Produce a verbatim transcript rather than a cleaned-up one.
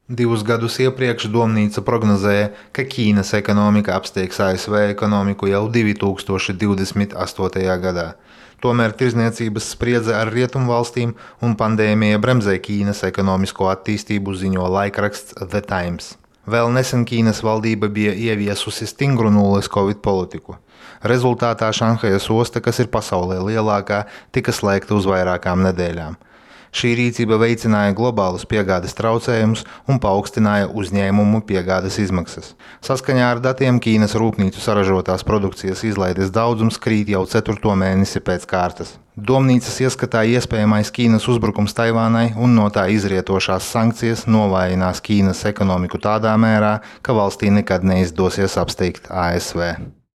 Divus gadus iepriekš Domnīca prognozēja, ka Ķīnas ekonomika apsteigs A S V ekonomiku jau divi tūkstoši divdesmit astotajā gadā. Tomēr tirdzniecības spriedze ar Rietumvalstīm un pandēmija bremzē Ķīnas ekonomisko attīstību, ziņo laikraksts The Times. Vēl nesen Ķīnas valdība bija ieviesusi stingru nulles Covid politiku. Rezultātā Šanhajas osta, kas ir pasaulē lielākā, tika slēgta uz vairākām nedēļām. Šī rīcība veicināja globālus piegādes traucējumus un paaugstināja uzņēmumu piegādes izmaksas. Saskaņā ar datiem Ķīnas rūpnīcu saražotās produkcijas izlaides daudzums krīt jau ceturto mēnesi pēc kārtas. Domnīcas ieskatā iespējamais Ķīnas uzbrukums Taivānai un no tā izrietošās sankcijas novājinās Ķīnas ekonomiku tādā mērā, ka valstī nekad neizdosies apsteigt A S V.